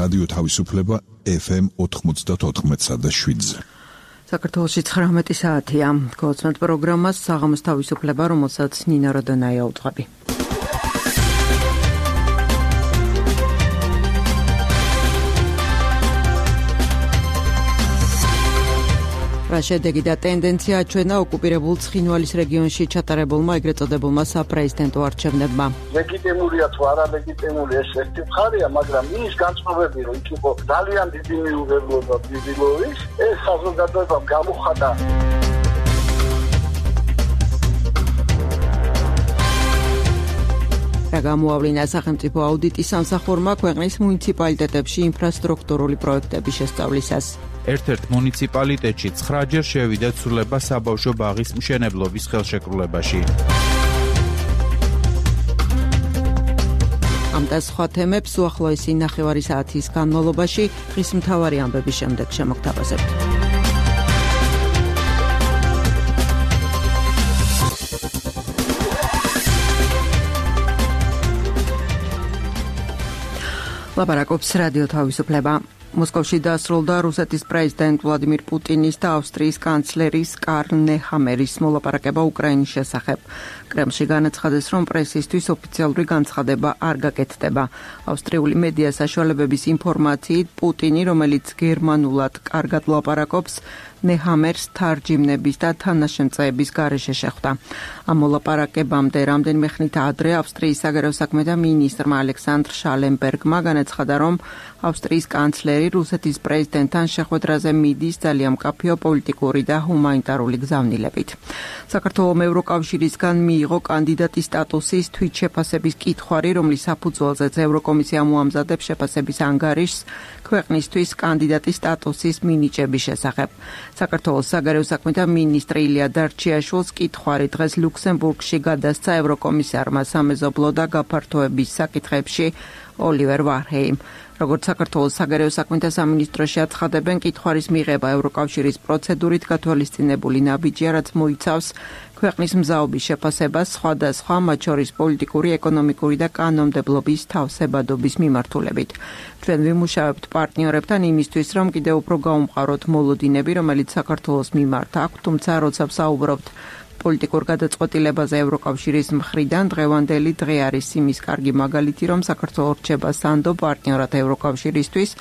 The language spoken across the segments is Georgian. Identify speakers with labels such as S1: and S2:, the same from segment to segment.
S1: რადიო თავისუფლება FM 94.7-ზე.
S2: საქართველოში 19 საათია. გულწრფელ პროგრამას საღამოს თავისუფლება, რომელსაც ნინა როდანაია უძღვები. შედეგი და ტენდენცია აჩვენა ოკუპირებულ ცხინვალის რეგიონში ჩატარებულმა ეგრეთ წოდებულმა საპრეზიდენტო არჩევნებმა.
S3: ლეგიტიმურია თუ არა ლეგიტიმური ეს ერთი მხარეა, მაგრამ ის განწყობები რომ იქ იყო ძალიან დიდი მიუღებლობა ბიბილოვის, ეს საზოგადოებამ გამოხატა.
S2: გამოავლინა სახელმწიფო აუდიტის სამსახურმა ქვეყნის მუნიციპალიტეტებში ინფრასტრუქტურული პროექტების შესწავლისას.
S4: ერთ-ერთ მუნიციპალიტეტში 9-ჯერ შევიდა ცვლილება საბავშვო ბაღის მშენებლობის ხელშეკრულებაში. ამ და სხვა თემებს უახლოესი ნახევარი საათის განმავლობაში დღის მთავარი ამბების შემდეგ შემოგთავაზებთ. ლაპარაკობს რადიო თავისუფლება. მოსკოვში დასრულდა რუსეთის პრეზიდენტ ვლადიმირ პუტინის და ავსტრიის კანცლერის კარლ ნეჰამერის მოლაპარაკება უკრაინის შესახებ. კრემლში განაცხადეს, რომ პრესისთვის ოფიციალური განცხადება არ გაკეთდება. ავსტრიული მედია საშუალებების ინფორმაციით, პუტინი, რომელიც გერმანულად კარგად ლაპარაკობს, ნეჰამერს თარჯიმნების და თანაშემწეების გარეშე შეხვდა. ამ მოლაპარაკებამდე რამდენიმე ხნით ადრე ავსტრიის საგარეო საქმეთა მინისტრმა ალექსანდრ შალენბერგმა განაცხადა, რომ ავსტრიის კანცლერი რუსეთის პრეზიდენტთან შეხვედრაზე მიდის ძალიან მკაფიო პოლიტიკური და ჰუმანიტარული გზავნილებით. საქართველომ ევროკავშირისგან მიიღო კანდიდატის სტატუსის თვითშეფასების კითხვარი, რომლის საფუძველზეც ევროკომისია მოამზადებს შეფასების ანგარიშს ქვეყნისთვის კანდიდატის სტატუსის მინიჭების შესახებ. საქართველოს საგარეო საქმეთა მინისტრი ილია დარჩიაშვილს კითხვარი დღეს ლუქსემბურგში გადასცა ევროკომისარმა სამეზობლო და გაფართოების საკითხებში ოლივერ ვარჰეიმ. როგორც საქართველოს საგარეო საქმეთა სამინისტროში აცხადებენ, კითხვარის მიღება ევროკავშირის პროცედურით გათვალისწინებული ნაბიჯია, რაც მოიცავს ქვეყნის მზაობის შეფასებას სხვადასხვა, მათ შორის პოლიტიკური, ეკონომიკური და კანონმდებლობის თავსებადობის მიმართულებით. ჩვენ ვიმუშავებთ პარტნიორებთან იმისთვის, რომ კიდევ უფრო გავუმყაროთ მოლოდინები, რომელიც საქართველოს მიმართ აქვთ, თუმცა როცა ვსაუბრობთ პოლიტიკურ გადაწყვეტილებაზე ევროკავშირის მხრიდან, დღევანდელი დღე არის იმის კარგი მაგალითი, რომ საქართველო რჩება სანდო პარტნიორად ევროკავშირისთვის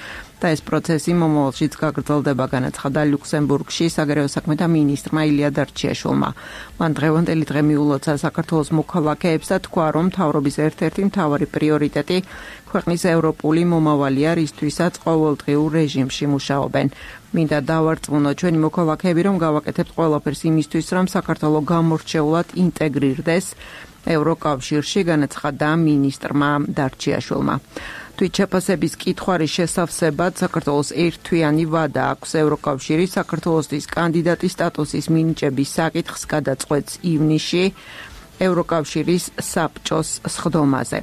S4: და ეს პროცესი მომავალშიც გაგრძელდება, განაცხადა ლუქსემბურგში საგარეო საქმეთა მინისტრმა ილია დარჩიაშვილმა. მან დღევანდელი დღე მიულოცა საქართველოს მოქალაქეებს და თქვა, რომ მთავრობის ერთ-ერთი მთავარი პრიორიტეტი ქვეყნის ევროპული მომავალია, რისთვისაც ყოველდღიურ რეჟიმში მუშაობენ. მინდა დავარწმუნო ჩვენი მოქალაქეები, რომ გავაკეთებთ ყველაფერს იმისთვის, რომ საქართველო გამორჩეულად ინტეგრირდეს ევროკავშირში, განაცხადა მინისტრმა დარჩიაშვილმა. თვითშეფასების კითხვარის შესავსებად საქართველოს ერთთვიანი ვადა აქვს ევროკავშირი საქართველოსთვის კანდიდატის სტატუსის მინიჭების საკითხს გადაწყვეტს ივნისში ევროკავშირის საბჭოს სხდომაზე.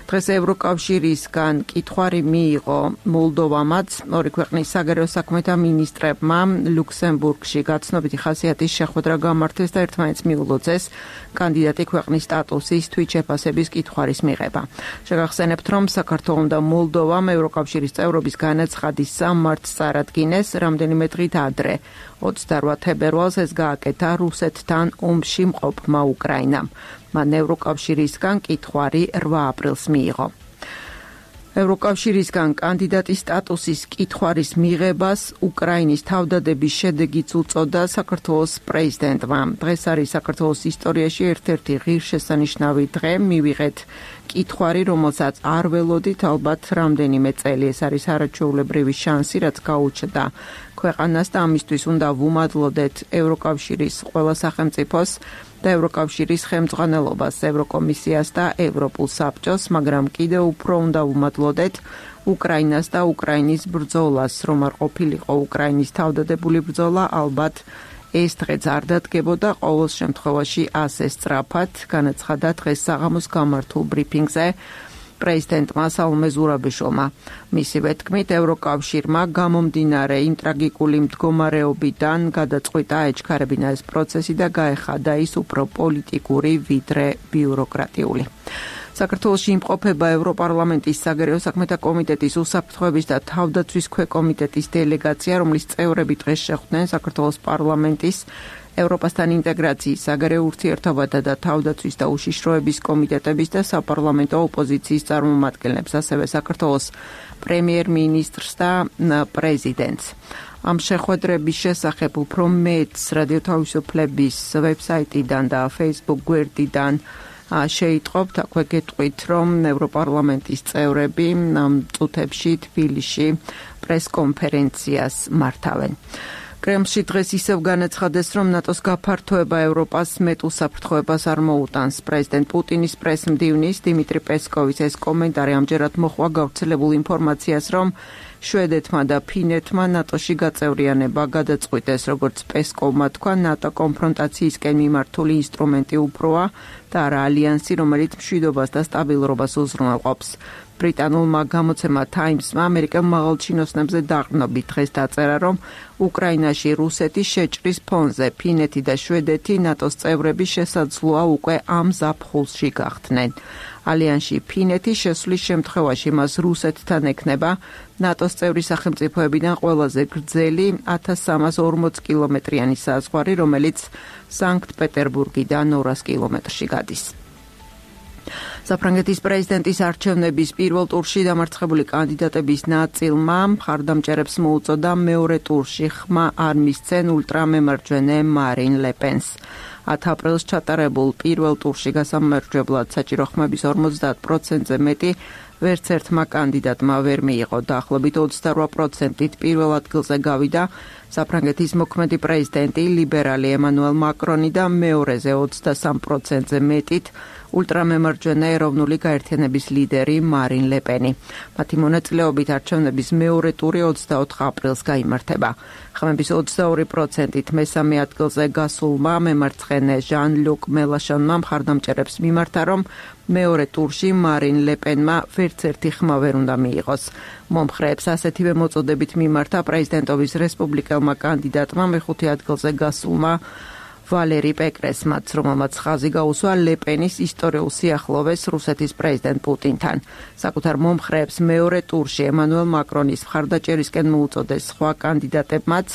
S4: დღეს ევროკავშირისგან კითხვარი მიიღო მოლდოვამაც, ორი ქვეყნის საგარეო საქმეთა მინისტრებმა ლუქსემბურგში გაცნობიტი ხასიათის შეხვედრა გამართეს და ერთმანეთს მიულოცეს კანდიდატი ქვეყნის სტატუსის თვითშეფასების კითხვარის მიღება. შეგახსენებთ, რომ საქართველომ და მოლდოვამ ევროკავშირის წევრობის განაცხადის სამმარტს წარადგინეს რამდენიმე დღით ადრე. 28 თებერვალს ეს გააკეთა რუსეთთან ომში მყოფმა უკრაინამ. მან ევროკავშირისგან კითხვარი 8 აპრილს მიიღო. ევროკავშირისგან კანდიდატის სტატუსის კითხვარის მიღებას უკრაინის თავდადების შედეგიც უწოდა საქართველოს პრეზიდენტმა. დღეს არის საქართველოს ისტორიაში ერთ-ერთი ღირსშესანიშნავი დღე, მივიღეთ კითხვარი, რომელსაც არ ველოდით ალბათ რამდენიმე წელი. ეს არის არაჩვეულებრივი შანსი, რაც გაუჩნდა ქვეყანას და ამისთვის უნდა ვუმადლოდეთ ევროკავშირის ყველა სახელმწიფოს და ევროკავშირის ხელმძღვანელობას, ევროკომისიას და ევროპულ საბჭოს, მაგრამ კიდევ უფრო უნდა ვუმადლოდეთ უკრაინას და უკრაინის ბრძოლას, რომ არ ყოფილიყო უკრაინის თავდადებული ბრძოლა, ალბათ ეს დღეც არ დადგებოდა ყოველ შემთხვევაში ასე სწრაფად, განაცხადა დღეს საღამოს გამართულ ბრიფინგზე პრეზიდენტმა სალომე ზურაბიშვილმა. მისივე თქმით, ევროკავშირმა გამომდინარე იმ ტრაგიკული მდგომარეობიდან გადაწყვიტა აეჩქარებინა ეს პროცესი და გაეხადა ის უფრო პოლიტიკური ვიდრე ბიუროკრატიული. საქართველოში იმყოფება ევროპარლამენტის საგარეო საქმეთა კომიტეტის უსაფრთხოების და თავდაცვის ქვეკომიტეტის დელეგაცია, რომლის წევრები დღეს შეხვდნენ საქართველოს პარლამენტის ევროპასთან ინტეგრაციის, საგარეო ურთიერთობათა და თავდაცვის და უშიშროების კომიტეტების და საპარლამენტო ოპოზიციის წარმომადგენლებს, ასევე საქართველოს პრემიერ-მინისტრს და პრეზიდენტს. ამ შეხვედრების შესახებ უფრო მეტს რადიო თავისუფლების ვებსაიტიდან და Facebook გვერდიდან შეიტყობთ, აქვე გეტყვით, რომ ევროპარლამენტის წევრები ამ წუთებში თბილისში პრესკონფერენციას მართავენ. კრემლში დღეს ისევ განაცხადეს, რომ ნატოს გაფართოება ევროპას მეტ უსაფრთხოებას არ მოუტანს. პრეზიდენტ პუტინის პრესმდივნის დიმიტრი პესკოვის ეს კომენტარი ამჯერად მოჰყვა გავრცელებულ ინფორმაციას, რომ შვედეთმა და ფინეთმა ნატოში გაწევრიანება გადაწყვიტეს. როგორც პესკოვმა თქვა, ნატო კონფრონტაციისკენ მიმართული ინსტრუმენტი უფროა და არა ალიანსი, რომელიც მშვიდობას და სტაბილურობას უზრუნველყოფს. ბრიტანულმა გამოცემა Times-მა ამერიკელ მაღალჩინოსნებზე დაყრდნობით დღეს დაწერა, რომ უკრაინაში რუსეთის შეჭრის ფონზე ფინეთი და შვედეთი ნატოს წევრები შესაძლოა უკვე ამ ზაფხულში გახდნენ. ალიანსში ფინეთი შესვლის შემთხვევაში მას რუსეთთან ექნება ნატოს წევრი სახელმწიფოებიდან ყველაზე გრძელი 1340 კილომეტრიანი საზღვარი, რომელიც სანქტ-პეტერბურგიდან 200 კილომეტრში გადის. საფრანგეთის პრეზიდენტის არჩევნების პირველ ტურში დამარცხებული კანდიდატების ნაწილმა მხარდამჭერებს მოუწოდა მეორე ტურში ხმა არ მისცენ ულტრამემარჯვენე მარინ ლე პენს. 10 აპრილს ჩატარებულ პირველ ტურში გასამარჯვებლად საჭირო ხმების 50%-ზე მეტი ვერც ერთმა კანდიდატმა ვერ მიიღო. დაახლოებით 28%-ით პირველ ადგილზე გავიდა საფრანგეთის მოქმედი პრეზიდენტი ლიბერალი ემანუელ მაკრონი და მეორეზე 23%-ზე მეტით ულტრამემარჯვენე ეროვნული გაერთიანების ლიდერი მარინ ლე პენი. მათი მონაწილეობით არჩევნების მეორე ტური 24 აპრილს გაიმართება. ხმების 22%-ით მესამე ადგილზე გასულმა მემარცხენე ჟან-ლუკ მელაშონმა მხარდამჭერებს მიმართა, რომ მეორე ტურში მარინ ლე პენმა ვერც ერთი ხმა ვერ უნდა მიიღოს. მომხრეებს ასეთივე მოწოდებით მიმართა პრეზიდენტობის რესპუბლიკელმა კანდიდატმა მეხუთე ადგილზე გასულმა ვალერი პეკრესმაც, რომელმაც ხაზი გაუსვა ლე პენის ისტორიულ სიახლოვეს რუსეთის პრეზიდენტ პუტინთან. საკუთარ მომხრეებს მეორე ტურში ემანუელ მაკრონის მხარდაჭერისკენ მოუწოდეს სხვა კანდიდატებმაც,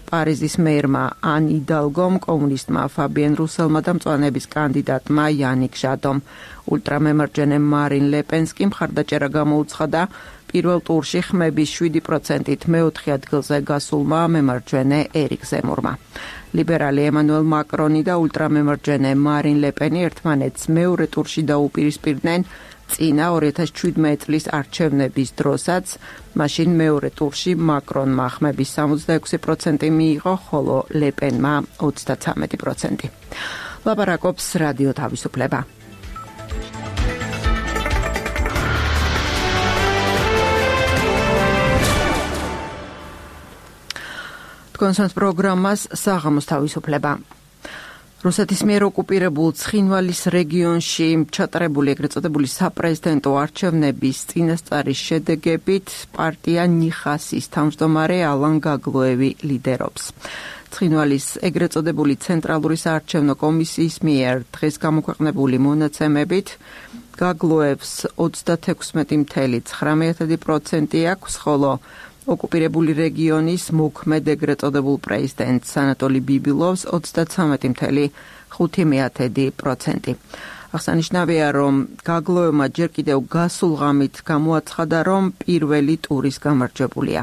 S4: პარიზის მერმა ან იდალგომ, კომუნისტმა ფაბიენ რუსელმა და მწვანეების კანდიდატმა იანიკ ჟადომ. ულტრამემარჯვენე მარინ ლე პენს კი მხარდაჭერა გამოუცხადა პირველ ტურში ხმების 7%-ით მეოთხე ადგილზე გასულმა მემარჯვენე ერიკ ზემურმა. ლიბერალი ემანუელ მაკრონი და ულტრამემარჯვენე მარინ ლე პენი ერთმანეთს მეორე ტურში დაუპირისპირდნენ წინა 2017 წლის არჩევნების დროსაც. მაშინ მეორე ტურში მაკრონმა ხმების 66% მიიღო, ხოლო ლე პენმა 33%. ლაპარაკობს რადიო თავისუფლება. კონსენს პროგრამას საღამოს თავისუფლება. რუსეთის მიერ ოკუპირებულ ცხინვალის რეგიონში ჩატარებული ეგრეთ წოდებული საპრეზიდენტო არჩევნების წინასწარის შედეგებით პარტია ნიხასის თავმჯდომარე ალან გაგლოევი ლიდერობს. ცხინვალის ეგრეთ წოდებული ცენტრალური საარჩევნო კომისიის მიერ დღეს გამოქვეყნებული მონაცემებით გაგლოევს 36.9% აქვს, ხოლო ოკუპირებული რეგიონის მოქმედ ეგრეთ წოდებულ პრეზიდენტს ანატოლი ბიბილოვს 33.5%. აღსანიშნავია, რომ გაგლოევმა ჯერ კიდევ გასულ ღამით გამოაცხადა, რომ პირველი ტურის გამარჯვებულია.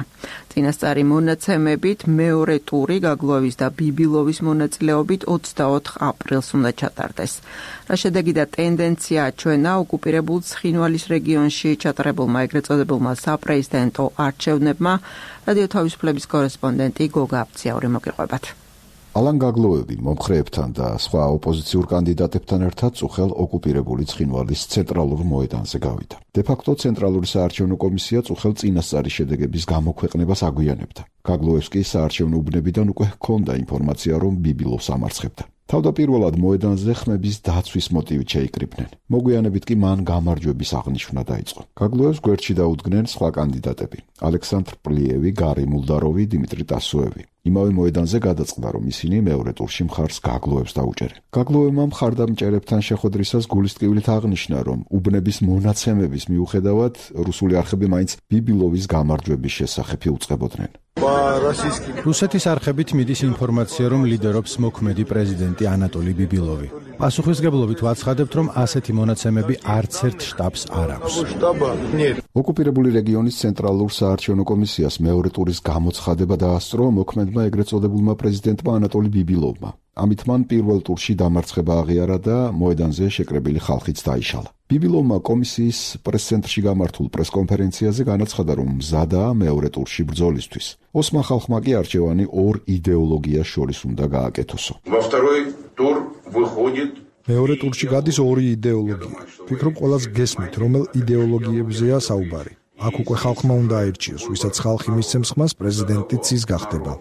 S4: წინასწარი მონაცემებით მეორე ტური გაგლოევის და ბიბილოვის მონაწილეობით 24 აპრილს უნდა ჩატარდეს. რა შედეგი და ტენდენცია აჩვენა ოკუპირებულ ცხინვალის რეგიონში ჩატარებულმა ეგრეთ წოდებულმა საპრეზიდენტო არჩევნებმა, რადიო თავისუფლების კორესპონდენტი გოგა აფციაური მოგიყვებათ.
S1: ალან გაგლოევი მომხრეებთან და სხვა ოპოზიციურ კანდიდატებთან ერთად წუხელ ოკუპირებული ცხინვალის ცენტრალურ მოედანზე გავიდა. დე-ფაქტო ცენტრალური საარჩევნო კომისია წუხელ წინასწარის შედეგების გამოქვეყნებას აგვიანებდა. გაგლოევს კი საარჩევნო უბნებიდან უკვე ჰქონდა ინფორმაცია, რომ ბიბილოვს ამარცხებდა. თავდაპირველად მოედანზე ხმების დაცვის მოტივით შეიკრიბნენ. მოგვიანებით კი მან გამარჯვების აღნიშვნა დაიწყო. გაგლოევს გვერდში დაუდგნენ სხვა კანდიდატები: ალექსანდრ პლიევი, გარი მულდაროვი, დიმიტრი ტასოევი. იმავე მოედანზე გადაწყდა, რომ ისინი მეორე ტურში მხარს გაგლოევს დაუჭერენ. გაგლოევმა მხარდამჭერებთან შეხვედრისას გულისტკივლით აღნიშნა, რომ უბნების მონაცემების მიუხედავად რუსული არხები მაინც ბიბილოვის გამარჯვების შესახებ იუწყებოდნენ.
S5: რუსეთის არხებით მიდის ინფორმაცია, რომ ლიდერობს მოქმედი პრეზიდენტი ანატოლი ბიბილოვი. პასუხისგებლობით ვაცხადებთ, რომ ასეთი მონაცემები არც ერთ შტაბს არ აქვს.
S1: ოკუპირებული რეგიონის ცენტრალურ საარჩევნო კომისიას მეორე ტურის გამოცხადება დაასწრო მოქმედმა ეგრეთ წოდებულმა პრეზიდენტმა ანატოლი ბიბილოვმა. ამით მან პირველ ტურში დამარცხება აღიარა და მოედანზე შეკრებილი ხალხიც დაიშალა. ბიბილოვმა კომისიის პრესცენტრში გამართულ პრესკონფერენციაზე განაცხადა, რომ მზადაა მეორე ტურში ბრძოლისთვის. ოსმა ხალხმა კი არჩევანი ორ იდეოლოგიას შორის უნდა გააკეთოსო.
S6: მეორე ტურში გადის ორი იდეოლოგია. ვფიქრობ, ყველას გესმით, რომელ იდეოლოგიებზეა საუბარი. აქ უკვე ხალხმა უნდა აირჩიოს, ვისაც ხალხი მისცემს ხმას, პრეზიდენტიც ის გახდება.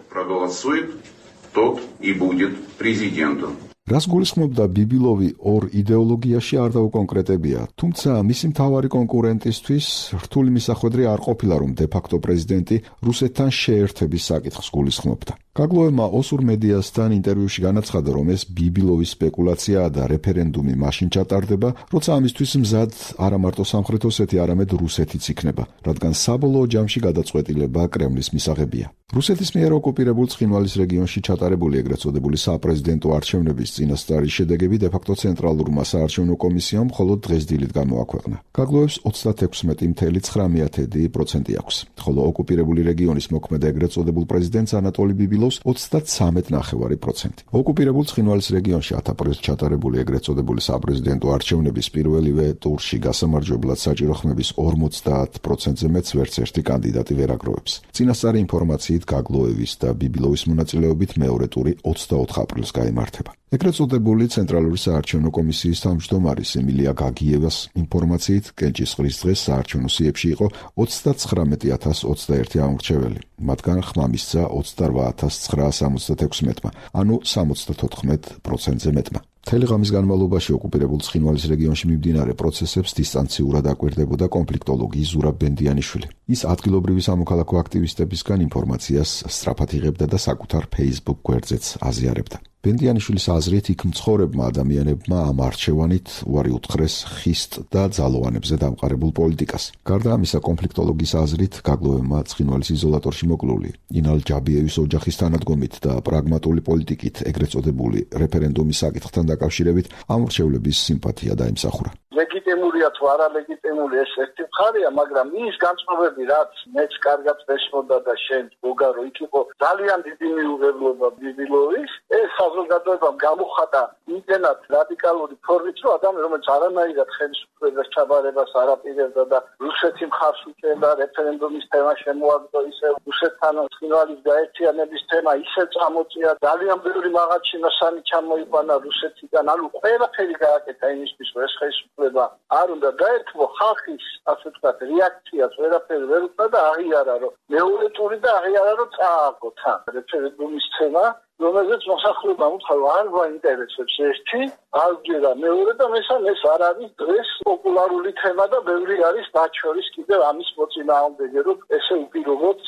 S1: რას გულისხმობდა ბიბილოვი ორ იდეოლოგიაში არ დაუკონკრეტებია, თუმცა მისი მთავარი კონკურენტისთვის რთული მისახვედრი არ ყოფილა, რომ დე-ფაქტო პრეზიდენტი რუსეთთან შეერთების საკითხს გულისხმობდა. გაგლოევმა ოსურ მედიასთან ინტერვიუში განაცხადა, რომ ეს ბიბილოვის სპეკულაციაა და რეფერენდუმი მაშინ ჩატარდება, როცა ამისთვის მზად არა მარტო სამხრეთ ოსეთი, არამედ რუსეთიც იქნება, რადგან საბოლოო ჯამში გადაწყვეტილება კრემლის მისაღებია. რუსეთის მიერ ოკუპირებულ ცხინვალის რეგიონში ჩატარებული ეგრეთ წოდებული საპრეზიდენტო არჩევნების წინასწარი შედეგები დე-ფაქტო ცენტრალურმა საარჩევნო კომისიამ მხოლოდ დღეს დილით გამოაქვეყნა. გაგლოევს 36.9% აქვს, ხოლო ოკუპირებული რეგიონის მოქმედ ეგრეთ წოდებულ პრეზიდენტს ანატოლი ბიბილოვს 33.9%. ოკუპირებულ ცხინვალის რეგიონში 10 აპრილს ჩატარებული ეგრეთ წოდებული საპრეზიდენტო არჩევნების პირველივე ტურში გასამარჯვებლად საჭირო ხმების 50%-ზე მეც ვერც ერთი კანდიდატი ვერ აგროვებს. წინასწარი ინფორმაციით გაგლოევის და ბიბილოვის მონაწილეობით მეორე ტური 24 აპრილს გაიმართება. ეგრეთ წოდებული ცენტრალური საარჩევნო კომისიის თავმჯდომარის ემილია გაგიევას ინფორმაციით კენჭისყრის დღეს საარჩევნო სიებში იყო 39.021 ამორჩეველი. მათგან ხმა მისცა 28.966-მა, ანუ 74%-ზე მეტმა. მთელი ღამის განმავლობაში ოკუპირებულ ცხინვალის რეგიონში მიმდინარე პროცესებს დისტანციურად აკვირდებოდა კონფლიქტოლოგი ზურაბ ბენდიანიშვილი. ის ადგილობრივი სამოქალაქო აქტივისტებისგან ინფორმაციას სწრაფად იღებდა და საკუთარ Facebook გვერდზეც აზიარებდა. ბენდიანიშვილის აზრით, იქ მცხოვრებმა ადამიანებმა ამ არჩევანით უარი უთხრეს ხისტ და ძალოვანებზე დამყარებულ პოლიტიკას. გარდა ამისა, კონფლიქტოლოგის აზრით, გაგლოევმა ცხინვალის იზოლატორში მოკლული ინალ ჯაბიევის ოჯახის თანადგომით და პრაგმატული პოლიტიკით ეგრეთ წოდებული რეფერენდუმის საკითხთან დაკავშირებით ამორჩევლების სიმპათია დაიმსახურა.
S3: ლეგიტიმურია თუ არა ლეგიტიმური ეს ერთი მხარეა, მაგრამ ის განწყობები, რაც მეც კარგად ვესმოდა და შენ გოგარო იქ იყო ძალიან დიდი მიუღებლობა ბიბილოვის, ეს საზოგადოებამ გამოხატა იმდენად რადიკალური ფორმით, რომ ადამიანი, რომელიც არანაირად ხელისუფლებას ჩაბარებას არ აპირებდა და რუსეთი მხარს უჭერდა, რეფერენდუმის თემა შემოაგდო, ისე რუსეთთან ცხინვალის გაერთიანების თემა ისე წამოწია, ძალიან ბევრი მაღალჩინოსანი ჩამოიყვანა რუსეთიდან, ანუ ყველაფერი გააკეთა იმისთვის, რომ ეს ხელისუფლება არ უნდა დაერთვო, ხალხის, ასე ვთქვათ, რეაქციას ვერაფერი ვერ უყვა და აღიარა, რომ მეორე ტური და აღიარა, რომ წააგო თან რეფერენდუმის თემა, რომელზეც მოსახლეობამ უთხრა, რომ არ გვაინტერესებს ერთი, აღჯერა მეორე და მესამე ეს არ არის დღეს პოპულარული თემა და ბევრი არის მათ შორის კიდევ ამის მოწინააღმდეგე, რომ ესე უპირობოდ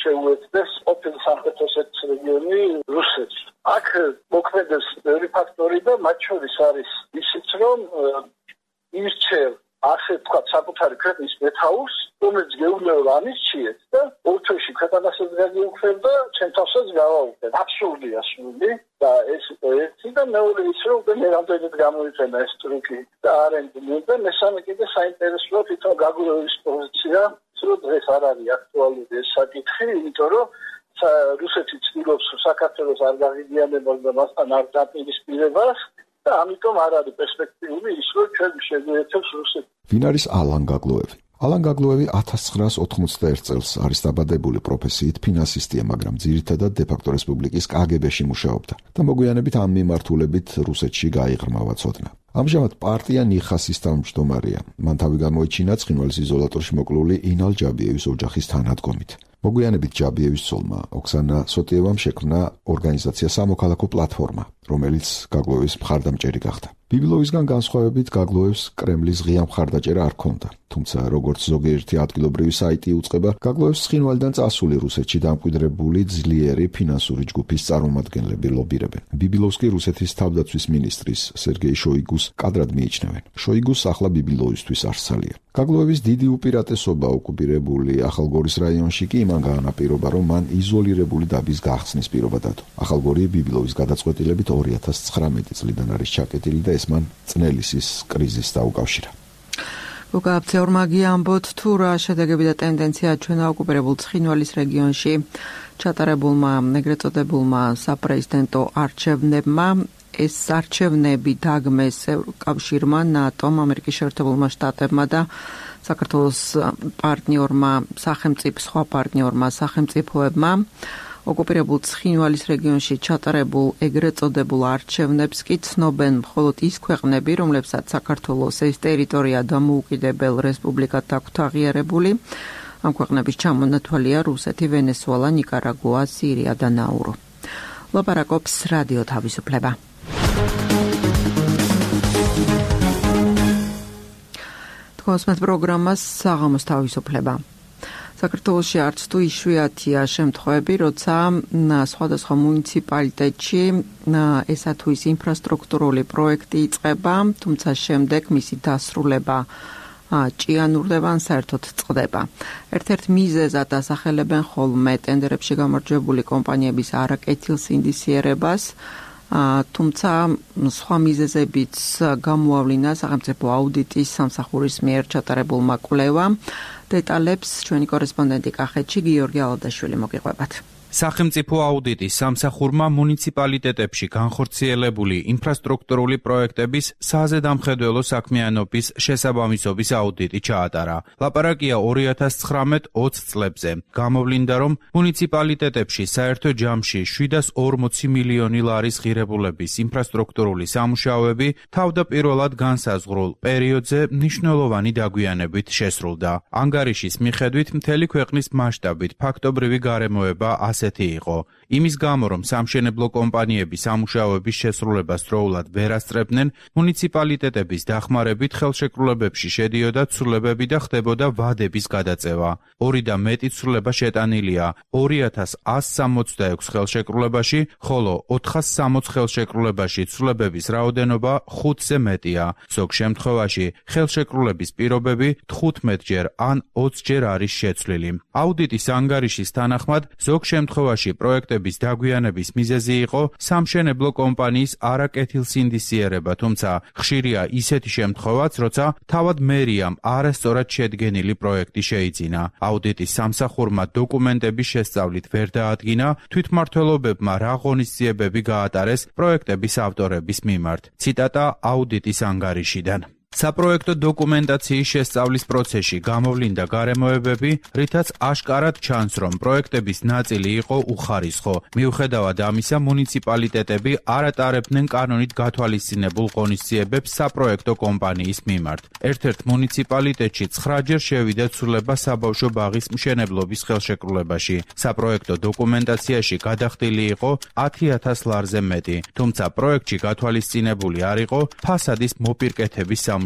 S3: შეუერთდეს ყოფილი სამხრეთ ოსეთის რეგიონი რუსეთს. აქ მოქმედებს ბევრი ფაქტორი და მათ შორის არის ისიც, რომ ირჩევ ასე ვთქვათ საკუთარი ქვეყნის მეთაურს, რომელიც გეუბნება ამისჩიეთ და ორთოში ქვეყანასაც გაგიუქმებ და ჩემ თავსაც გავაუქმებ. აბსურდია სული და ეს ერთი და მეორე ის რომ მე რამდენად გამოიყენა ეს ტრუკი და არენდიმი და მესამე კიდე საინტერესოა თვითონ გაგლოევის პოზიცია, რომ დღეს არ არის აქტუალური ეს საკითხი, იმიტომ რომ რუსეთი ცდილობს საქართველოს არ გაღიზიანებას და მასთან არ დაპირისპირებას და ამიტომ არ არის პერსპექტიული ის, რომ ჩვენ შეგვიერთებს რუსეთი.
S1: ვინ არის ალან გაგლოევი? ალან გაგლოევი 1991 წელს არის დაბადებული, პროფესიით ფინანსისტია, მაგრამ ძირითადად დე-ფაქტო რესპუბლიკის კგბ-ში მუშაობდა და მოგვიანებით ამ მიმართულებით რუსეთში გაიღრმავა ცოდნა. ამჟამად პარტია ნიხასის თავმჯდომარეა. მან თავი გამოიჩინა ცხინვალის იზოლატორში მოკლული ინალ ჯაბიევის ოჯახის თანადგომით. მოგვიანებით ჯაბიევის ცოლმა ოქსანა სოტიევამ შექმნა ორგანიზაცია სამოქალაქო პლატფორმა, რომელიც გაგლოევის მხარდამჭერი გახდა. ბიბილოვისგან განსხვავებით გაგლოევს კრემლის ღია მხარდაჭერა არ ჰქონდა. თუმცა როგორც ზოგიერთი ადგილობრივი საიტი უწყება, გაგლოევს ცხინვალიდან წასული რუსეთში დამკვიდრებული ძლიერი ფინანსური ჯგუფის წარმომადგენლები ლობირებენ. ბიბილოვს კი რუსეთის თავდაცვის მინისტრის სერგეი შოიგუს კადრად მიიჩნევენ. შოიგუს ახლა ბიბილოვისთვის არსალია. გაგლოევის დიდი უპირატესობა ოკუპირებული ახალგორის რაიონში კი იმან გაანაპირობა, რომ მან იზოლირებული დაბის გახსნის პირობა დადო. ახალგორი ბიბილოვის გადაწყვეტილებით 2019 წლიდან არის ჩაკეტილი და ეს მან წნელისის კრიზისს დაუკავშირა.
S2: უკაფცეორმა გიამბოთ თუ რა შედეგები და ტენდენცია ჩვენა ოკუპირებულ ცხინვალის რეგიონში ჩატარებულმა ეგრეთ წოდებულმა საპრეზიდენტო არჩევნებმა. ეს არჩევნები დაგმეს ევროკავშირმა, ნატომ, ამერიკის შეერთებულმა შტატებმა და საქართველოს სხვა პარტნიორმა სახელმწიფოებმა. ოკუპირებულ ცხინვალის რეგიონში ჩატარებულ ეგრეთ წოდებულ არჩევნებს კი ცნობენ მხოლოდ ის ქვეყნები, რომლებსაც საქართველოს ეს ტერიტორია დამოუკიდებელ რესპუბლიკად აქვთ აღიარებული. ამ ქვეყნების ჩამონათვალია რუსეთი, ვენესუელა, ნიკარაგუა, სირია და ნაურო. ლაპარაკობს რადიო თავისუფლება. თქვენს პროგრამას საღამოს თავისუფლება. საქართველოში არც თუ იშვიათია შემთხვევები, როცა სხვადასხვა მუნიციპალიტეტში ესა თუ ის ინფრასტრუქტურული პროექტი იწყება, თუმცა შემდეგ მისი დასრულება ჭიანურდება ან საერთოდ წყდება. ერთ-ერთ მიზეზად ასახელებენ ხოლმე ტენდერებში გამარჯვებული კომპანიების არაკეთილსინდისიერებას, თუმცა სხვა მიზეზებიც გამოავლინა სახელმწიფო აუდიტის სამსახურის მიერ ჩატარებულმა კვლევამ. დეტალებს ჩვენი კორესპონდენტი კახეთში გიორგი ალადაშვილი მოგიყვებათ.
S7: სახელმწიფო აუდიტის სამსახურმა მუნიციპალიტეტებში განხორციელებული ინფრასტრუქტურული პროექტების საზედამხედველო საქმიანობის შესაბამისობის აუდიტი ჩაატარა. ლაპარაკია 2019-20 წლებზე. გამოვლინდა, რომ მუნიციპალიტეტებში საერთო ჯამში 740 მილიონი ლარის ღირებულების ინფრასტრუქტურული სამუშაოები თავდაპირველად განსაზღვრულ პერიოდზე მნიშვნელოვანი დაგვიანებით შესრულდა. ანგარიშის მიხედვით მთელი ქვეყნის მასშტაბით ფაქტობრივი გარემოება იყო. იმის გამო, რომ სამშენებლო კომპანიები სამუშაოების შესრულებას დროულად ვერ ასწრებდნენ, მუნიციპალიტეტების დახმარებით ხელშეკრულებებში შედიოდა ცვლილებები და ხდებოდა ვადების გადაწევა. 2 და მეტი ცვლილება შეტანილია 2166 ხელშეკრულებაში, ხოლო 460 ხელშეკრულებაში ცვლილებების რაოდენობა 5-ზე მეტია. ზოგ შემთხვევაში ხელშეკრულების პირობები 15-ჯერ ან 20-ჯერ არის შეცვლილი. აუდიტის ანგარიშის თანახმად ზოგ შემთხვევაში პროექტების დაგვიანების მიზეზი იყო სამშენებლო კომპანიის არაკეთილსინდისიერება, თუმცა ხშირია ისეთი შემთხვევაც, როცა თავად მერიამ არასწორად შედგენილი პროექტი შეიძინა. აუდიტის სამსახურმა დოკუმენტების შესწავლით ვერ დაადგინა თვითმმართველობებმა რა ღონისძიებები გაატარეს პროექტების ავტორების მიმართ. ციტატა აუდიტის ანგარიშიდან. საპროექტო დოკუმენტაციის შესწავლის პროცესში გამოვლინდა გარემოებები, რითაც აშკარად ჩანს, რომ პროექტების ნაწილი იყო უხარისხო. მიუხედავად ამისა, მუნიციპალიტეტები არ ატარებდნენ კანონით გათვალისწინებულ ღონისძიებებს საპროექტო კომპანიის მიმართ. ერთ-ერთ მუნიციპალიტეტში 9-ჯერ შევიდა ცვლილება საბავშვო ბაღის მშენებლობის ხელშეკრულებაში. საპროექტო დოკუმენტაციაში გადახდილი იყო 10,000 ლარზე მეტი, თუმცა პროექტში გათვალისწინებული არ იყო ფასადის მოპირკეთების სამუშაოები.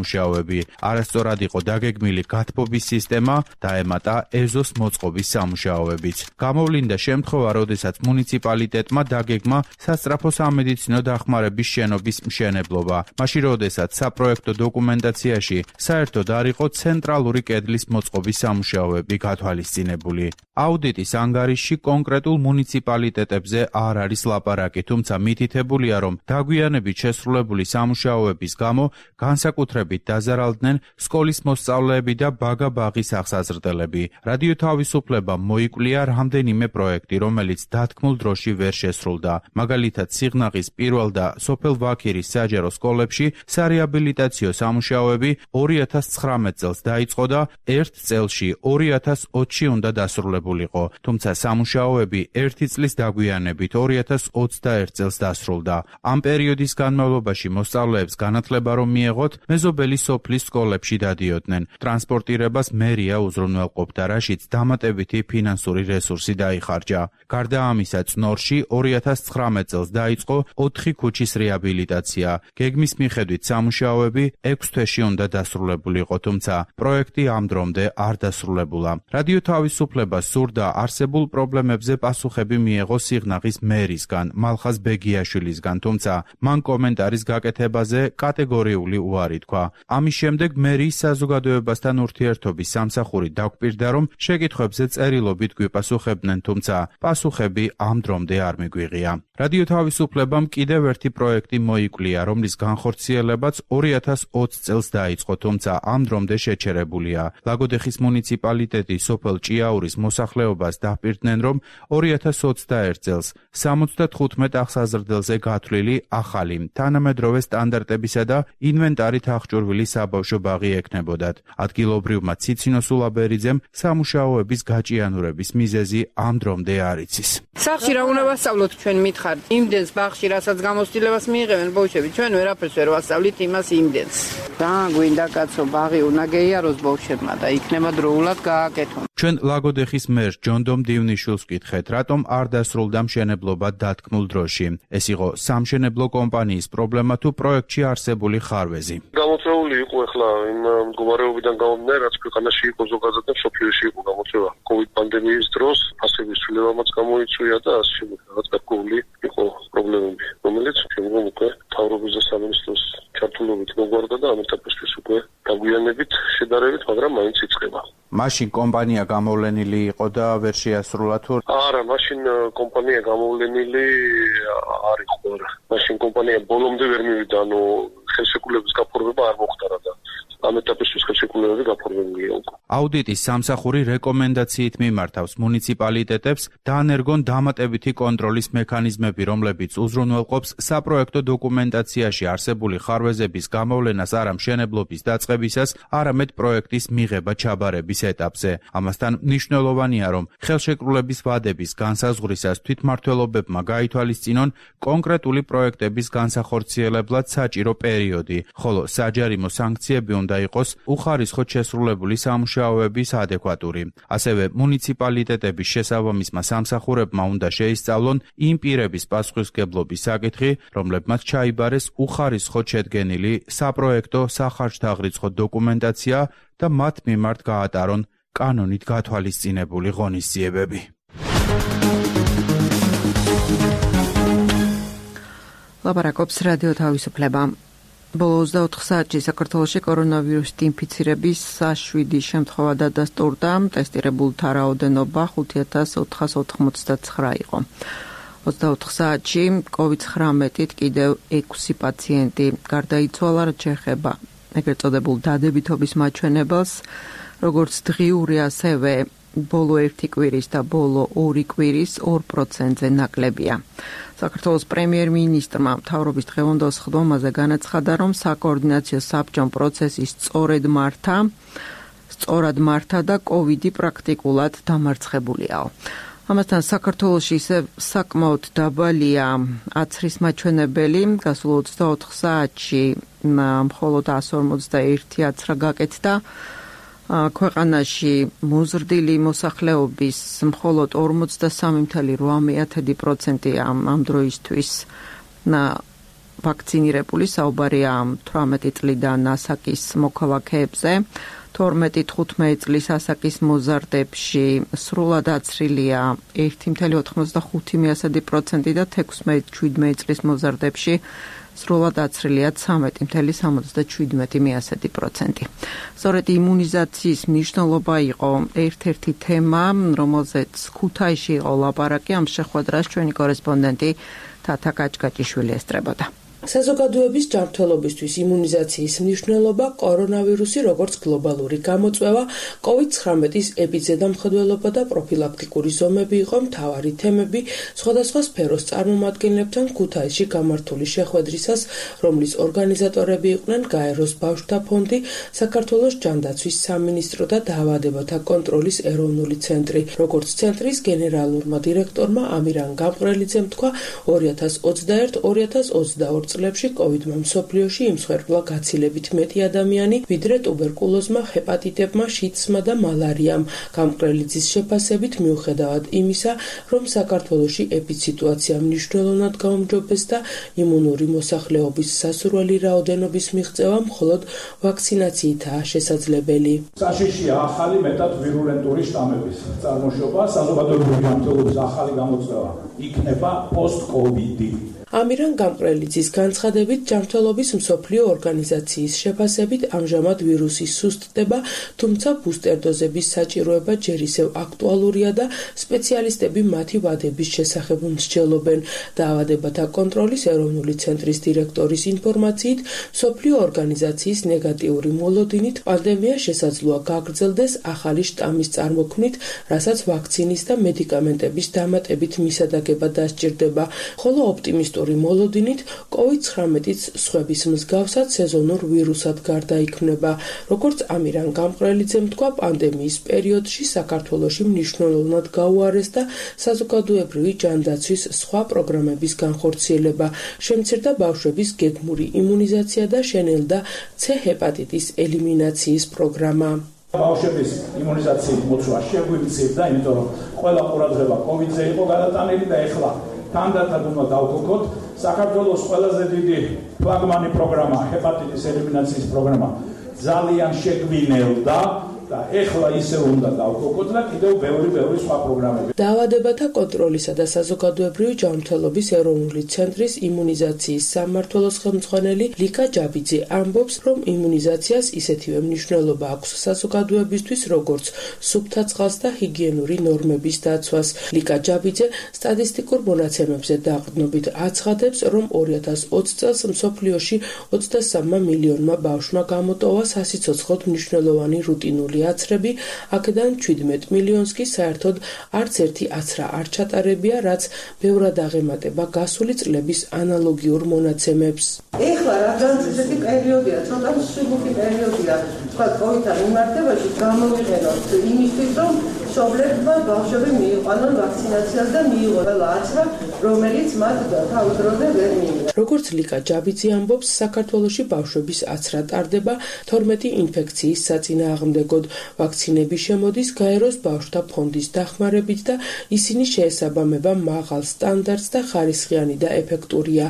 S7: არასწორად იყო დაგეგმილი გათბობის სისტემა, დაემატა ეზოს მოწყობის სამუშაოებიც. გამოვლინდა შემთხვევა, როდესაც მუნიციპალიტეტმა დაგეგმა სასწრაფო სამედიცინო დახმარების შენობის მშენებლობა. მაშინ, როდესაც საპროექტო დოკუმენტაციაში საერთოდ არ იყო ცენტრალური კედლის მოწყობის სამუშაოები გათვალისწინებული. აუდიტის ანგარიშში კონკრეტულ მუნიციპალიტეტებზე არ არის ლაპარაკი, თუმცა მითითებულია, რომ დაგვიანებით შესრულებული სამუშაოების გამო განსაკუთრებით დაზარალდნენ სკოლის მოსწავლეები და ბაგა-ბაღის აღსაზრდელები. რადიო თავისუფლება მოიკვლია რამდენიმე პროექტი, რომელიც დათქმულ დროში ვერ შესრულდა. მაგალითად, სიღნაღის პირველ და სოფელ ვაქირის საჯარო სკოლებში სარეაბილიტაციო სამუშაოები 2019 წელს დაიწყო და ერთ წელში 2020-ში უნდა დასრულებულიყო, თუმცა სამუშაოები ერთი წლის დაგვიანებით 2021 წელს დასრულდა. ამ პერიოდის განმავლობაში მოსწავლეებს განათლება რომ მიეღოთ, მეზობელი მეზობელი სოფლის სკოლებში დადიოდნენ. ტრანსპორტირებას მერია უზრუნველყოფდა, რაშიც დამატებითი ფინანსური რესურსი დაიხარჯა. გარდა ამისა, წნორში 2019 წელს დაიწყო 4 ქუჩის რეაბილიტაცია. გეგმის მიხედვით სამუშაოები 6 თვეში უნდა დასრულებულიყო, თუმცა პროექტი ამ დრომდე არ დასრულებულა. რადიო თავისუფლებას სურდა არსებულ პრობლემებზე პასუხები მიეღო სიღნაღის მერისგან, მალხაზ ბეგიაშვილისგან, თუმცა მან კომენტარის გაკეთებაზე კატეგორიული უარი თქვა. ამის შემდეგ მერიის საზოგადოებასთან ურთიერთობის სამსახური დაგვპირდა, რომ შეკითხვებზე წერილობით გვიპასუხებდნენ, თუმცა პასუხები ამ დრომდე არ მიგვიღია. რადიო თავისუფლებამ კიდევ ერთი პროექტი მოიკვლია, რომლის განხორციელებაც 2020 წელს დაიწყო, თუმცა ამ დრომდე შეჩერებულია. ლაგოდეხის მუნიციპალიტეტი სოფელ ჭიაურის მოსახლეობას დაპირდნენ, რომ 2021 წელს 75 აღსაზრდელზე გათვლილი ახალი, თანამედროვე სტანდარტებისა და ინვენტარით აღჭურვილი საბავშვო ბაღი ექნებოდათ. ადგილობრივმა ციცინო სულაბერიძემ სამუშაოების გაჭიანურების მიზეზი ამ დრომდე არ იცის.
S8: სახში რა უნდა ვასწავლოთ ჩვენ მითხართ? იმდენს ბაღში რასაც გამოცდილებას მიიღებენ ბავშვები, ჩვენ ვერაფერს ვერ ვასწავლით იმას იმდენს. რა გვინდა კაცო, ბაღი უნდა გეიაროს ბავშვებმა და იქნება დროულად გააკეთონ.
S7: ჩვენ ლაგოდეხის მერს ჯონდომ დივნიშვილს ვკითხეთ, რატომ არ დასრულდა მშენებლობა დათქმულ დროში. ეს იყო სამშენებლო კომპანიის პრობლემა თუ პროექტში არსებული ხარვეზი.
S9: გამოწვეული იყო ახლა იმ მდგომარეობიდან გამომდინარე, რაც ქვეყანაში იყო ზოგადად და მსოფლიოში იყო გამოწვევა. COVID პანდემიის დროს ფასების ცვლილებამაც გამოიწვია და ასე შემდეგ რაღაც გარკვეული იყო პრობლემები, რომელიც შემდგომ უკვე მთავრობის და სამინისტროს ჩართულობით მოგვარდა და ამ ეტაპისთვის უკვე დაგვიანებით შედარებით, მაგრამ მაინც იწყება.
S7: მაშინ კომპანია გამოვლენილი იყო და ვერ შეასრულა თუ?
S9: არა, მაშინ კომპანია გამოვლენილი არ იყო. მაშინ კომპანია ბოლომდე ვერ მივიდა, ანუ ხელშეკრულების გაფორმება არ მოხდა და ამ ეტაპისთვის ხელშეკრულებები გაფორმებულია უკვე.
S7: აუდიტის სამსახური რეკომენდაციით მიმართავს მუნიციპალიტეტებს დაანერგონ დამატებითი კონტროლის მექანიზმები, რომლებიც უზრუნველყოფს საპროექტო დოკუმენტაციაში არსებული ხარვეზების გამოვლენას არა მშენებლობის დაწყებისას, არამედ პროექტის მიღება ჩაბარების ეტაპზე. ამასთან მნიშვნელოვანია, რომ ხელშეკრულების ვადების განსაზღვრისას თვითმმართველობებმა გაითვალისწინონ კონკრეტული პროექტების განსახორციელებლად საჭირო პერიოდი, ხოლო საჯარიმო სანქციები უნდა იყოს უხარისხოდ შესრულებული სამუშაოების ადეკვატური. ასევე მუნიციპალიტეტების შესაბამისმა სამსახურებმა უნდა შეისწავლონ იმ პირების პასუხისმგებლობის საკითხი, რომლებმაც ჩაიბარეს უხარისხოდ შედგენილი საპროექტო სახარჯთაღრიცხო დოკუმენტაცია და მათ მიმართ გაატარონ კანონით გათვალისწინებული ღონისძიებები.
S2: ლაპარაკობს რადიო თავისუფლება. ბოლო 24 საათში საქართველოში კორონავირუსით ინფიცირების 7 შემთხვევა დადასტურდა, ტესტირებულთა რაოდენობა 5489 იყო. 24 საათში COVID-19-ით კიდევ 6 პაციენტი გარდაიცვალა, რაც შეეხება ეგრეთ წოდებულ დადებითობის მაჩვენებელს, როგორც დღიური, ასევე ბოლო 1 კვირის და ბოლო 2 კვირის 2%-ზე ნაკლებია. საქართველოს პრემიერ-მინისტრმა მთავრობის დღევანდელ სხდომაზე განაცხადა, რომ საკოორდინაციო საბჭომ პროცესი სწორად მართა და COVID-ი პრაქტიკულად დამარცხებულიაო. ამასთან საქართველოში ისევ საკმაოდ დაბალია აცრის მაჩვენებელი, გასულ 24 საათში მხოლოდ 151 აცრა გაკეთდა. ქვეყანაში მოზრდილი მოსახლეობის მხოლოდ 43.8% ამ დროისთვის ვაქცინირებული, საუბარია 18 წლიდან ასაკის მოქალაქეებზე. 12-15 წლის ასაკის მოზარდებში სრულად აცრილია 1.85% და 16-17 წლის მოზარდებში სრულად აცრილია 13.77%. სწორედ იმუნიზაციის მნიშვნელობა იყო ერთ-ერთი თემა, რომელზეც ქუთაისში იყო ლაპარაკი. ამ შეხვედრას ჩვენი კორესპონდენტი თათა კაჭკაჭიშვილი ესწრებოდა.
S10: საზოგადოების ჯანმრთელობისთვის იმუნიზაციის მნიშვნელობა, კორონავირუსი როგორც გლობალური გამოწვევა, COVID-19-ის ეპიდემიოლოგია და პროფილაქტიკური ზომები იყო მთავარი თემები სხვადასხვა სფეროს წარმომადგენლებთან ქუთაისში გამართული შეხვედრისას, რომლის ორგანიზატორები იყვნენ გაეროს ბავშვთა ფონდი, საქართველოს ჯანდაცვის სამინისტრო და დაავადებათა კონტროლის ეროვნული ცენტრი. როგორც ცენტრის გენერალურმა დირექტორმა ამირან გამყრელიძემ თქვა, 2021-2022 წლებში COVID-მა მსოფლიოში იმსხვერპლა გაცილებით მეტი ადამიანი, ვიდრე ტუბერკულოზმა, ჰეპატიტებმა, შიდსმა და მალარიამ. გამკრელიძის შეფასებით მიუხედავად იმისა, რომ საქართველოში ეპიდსიტუაცია მნიშვნელოვნად გაუმჯობეს და იმუნური მოსახლეობის სასურველი რაოდენობის მიღწევა მხოლოდ ვაქცინაციითაა შესაძლებელი.
S11: საშიშია ახალი მეტად ვირულენტური შტამების წარმოშობა, საზოგადოებრივი ჯანმრთელობის ახალი გამოწვევა იქნება post-COVID-ი.
S10: ამირან გამკრელიძის განცხადებით, ჯანმრთელობის მსოფლიო ორგანიზაციის შეფასებით ამჟამად ვირუსი სუსტდება, თუმცა ბუსტერ დოზების საჭიროება ჯერ ისევ აქტუალურია და სპეციალისტები მათი ვადების შესახებ მსჯელობენ. დაავადებათა კონტროლის ეროვნული ცენტრის დირექტორის ინფორმაციით, მსოფლიო ორგანიზაციის ნეგატიური მოლოდინით პანდემია შესაძლოა გაგრძელდეს ახალი შტამის წარმოქმნით, რასაც ვაქცინის და მედიკამენტების დამატებით მისადაგება დასჭირდება, ხოლო ოპტიმისტური მოლოდინით COVID-19-იც სხვების მსგავსად სეზონურ ვირუსად გარდაიქმნება. როგორც ამირან გამკრელიძემ თქვა, პანდემიის პერიოდში საქართველოში მნიშვნელოვნად გაუარეს და საზოგადოებრივი ჯანდაცვის სხვა პროგრამების განხორციელება. შემცირდა ბავშვების გეგმური იმუნიზაცია და შენელდა C ჰეპატიტის ელიმინაციის პროგრამა.
S11: ბავშვების იმუნიზაციის მოცვა შეგვიმცირდა, იმიტომ რომ ყველა ყურადღება COVID-ზე იყო გადატანილი და ეხლა თანდათან უნდა დავგოგოთ საქართველოს ყველაზე დიდი ფლაგმანი პროგრამა ჰეპატიტის ელიმინაციის პროგრამა ძალიან შეგვინელდა და ეხლა ისე უნდა დავგოგოთ და კიდევ ბევრი სხვა პროგრამები.
S10: დაავადებათა კონტროლისა და საზოგადოებრივი ჯანმრთელობის ეროვნული ცენტრის იმუნიზაციის სამმართველოს ხელმძღვანელი ლიკა ჯაბიძე ამბობს, რომ იმუნიზაციას ისეთივე მნიშვნელობა აქვს საზოგადოებისთვის, როგორც სუფთა წყალს და ჰიგიენური ნორმების დაცვას. ლიკა ჯაბიძე სტატისტიკურ მონაცემებზე დაყრდნობით აცხადებს, რომ 2020 წელს მსოფლიოში 23 მილიონმა ბავშვმა გამოტოვა სასიცოცხლოდ მნიშვნელოვანი რუტინული აცრები, აქედან 17 მილიონს კი საერთოდ არც ერთი აცრა არ ჩატარებია, რაც ბევრად აღემატება გასული წლების ანალოგიურ მონაცემებს.
S12: ეხლა რა განცდები პერიოდია, ცოტა მსუბუქი პერიოდია, თქვა COVID-თან მიმართებაში გამოვიყენოთ იმისთვის, რომ მშობლებმა ბავშვები მიიყვანონ ვაქცინაციას და მიიღონ აცრა, რომელიც მათ თავის დროზე ვერ მიიღეს.
S10: როგორც ლიკა ჯაბიძე ამბობს, საქართველოში ბავშვების აცრა ტარდება 12 ინფექციის საწინააღმდეგოდ. ვაქცინები შემოდის გაეროს ბავშვთა ფონდის დახმარებით და ისინი შეესაბამება მაღალ სტანდარტს და ხარისხიანი და ეფექტურია.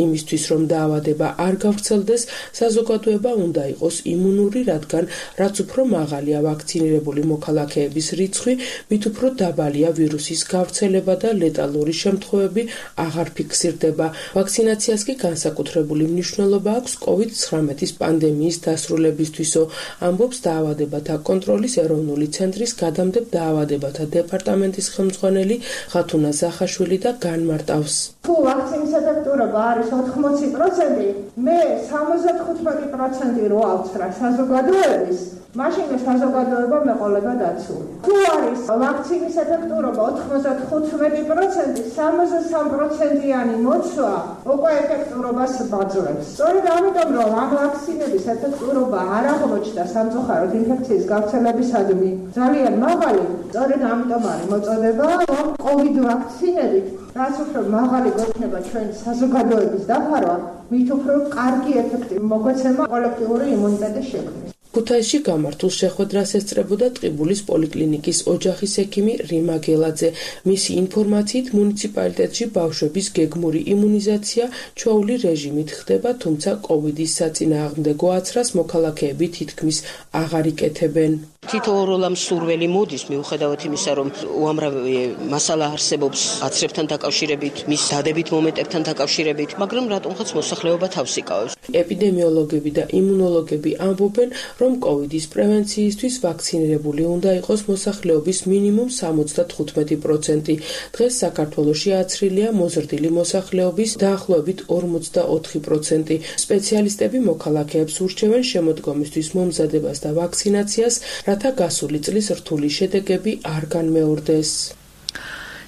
S10: იმისთვის, რომ დაავადება არ გავრცელდეს, საზოგადოება უნდა იყოს იმუნური, რადგან რაც უფრო მაღალია ვაქცინირებული მოქალაქეების რიცხვი, მით უფრო დაბალია ვირუსის გავრცელება და ლეტალური შემთხვევები აღარ ფიქსირდება. ვაქცინაციას კი განსაკუთრებული მნიშვნელობა აქვს COVID-19 პანდემიის დასრულებისთვისო, ამბობს დაავადებათა კონტროლის ეროვნული ცენტრის გადამდებ დაავადებათა დეპარტამენტის ხელმძღვანელი ხათუნა ზახაშვილი და განმარტავს.
S12: თუ ვაქცინის ეფექტურობა არის 80%, მე 75% რო ავცხრა საზოგადოების, მაშინ საზოგადოება მეყოლება დაცული. თუ არის ვაქცინის ეფექტურობა 95%, 63%-იანი მოცვა უკვე ეფექტურობას ბაძლევს. სწორედ ამიტომ, რომ ამ ვაქცინების ეფექტურობა არ აღმოჩნდა სამწუხაროდ ინფექციის გავრცელებისადმი ძალიან მაღალი, სწორედ ამიტომ არის მოწოდება, რომ COVID ვაქცინებით რაც უფრო მაღალი გვექნება ჩვენ საზოგადოების დაფარვა, მით უფრო კარგი ეფექტი მოგვეცემა კოლექტიური იმუნიტეტის შექმნის.
S10: ქუთაისში გამართულ შეხვედრას ესწრებოდა ტყიბულის პოლიკლინიკის ოჯახის ექიმი რიმა გელაძე. მისი ინფორმაციით, მუნიციპალიტეტში ბავშვების გეგმური იმუნიზაცია ჩვეული რეჟიმით ხდება, თუმცა COVID-ის საწინააღმდეგო აცრას მოქალაქეები თითქმის აღარ იკეთებენ.
S13: თითოეულ მსურველი მოდის მიუხედავად იმისა, რომ უამრავი მასალა არსებობს აცრებთან დაკავშირებით, მის დადებით მომენტებთან დაკავშირებით, მაგრამ რატომღაც მოსახლეობა თავს იკავებს.
S10: ეპიდემიოლოგები და იმუნოლოგები ამბობენ, რომ COVID-ის პრევენციისთვის ვაქცინირებული უნდა იყოს მოსახლეობის მინიმუმ 75%. დღეს საქართველოში აცრილია მოზრდილი მოსახლეობის დაახლოებით 44%. სპეციალისტები მოქალაქეებს ურჩევენ შემოდგომისთვის მომზადებას და ვაქცინაციას, რათა გასული წლის რთული შედეგები არ განმეორდეს.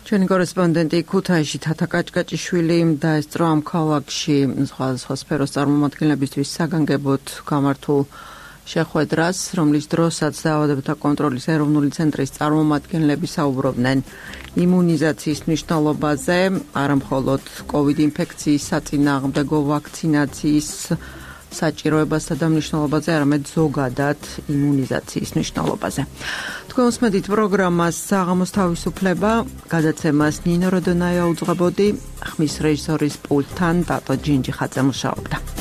S2: ჩვენი კორესპონდენტი ქუთაისში თათა კაჭკაჭიშვილი დაესწრო ამ ქალაქში სხვადასხვა სფეროს წარმომადგენლებისთვის საგანგებოდ გამართულ შეხვედრას, რომლის დროსაც დაავადებათა კონტროლის ეროვნული ცენტრის წარმომადგენლები საუბრობდნენ იმუნიზაციის მნიშვნელობაზე, არა მხოლოდ COVID ინფექციის საწინააღმდეგო ვაქცინაციის საჭიროებასა და მნიშვნელობაზე, არამედ ზოგადად იმუნიზაციის მნიშვნელობაზე. თქვენ უსმენთ პროგრამას საღამოს თავისუფლება, გადაცემას ნინო როდონაია უძღვებოდი, ხმის რეჟისორის პულტთან დატო ჯინჯიხაძე მუშაობდა.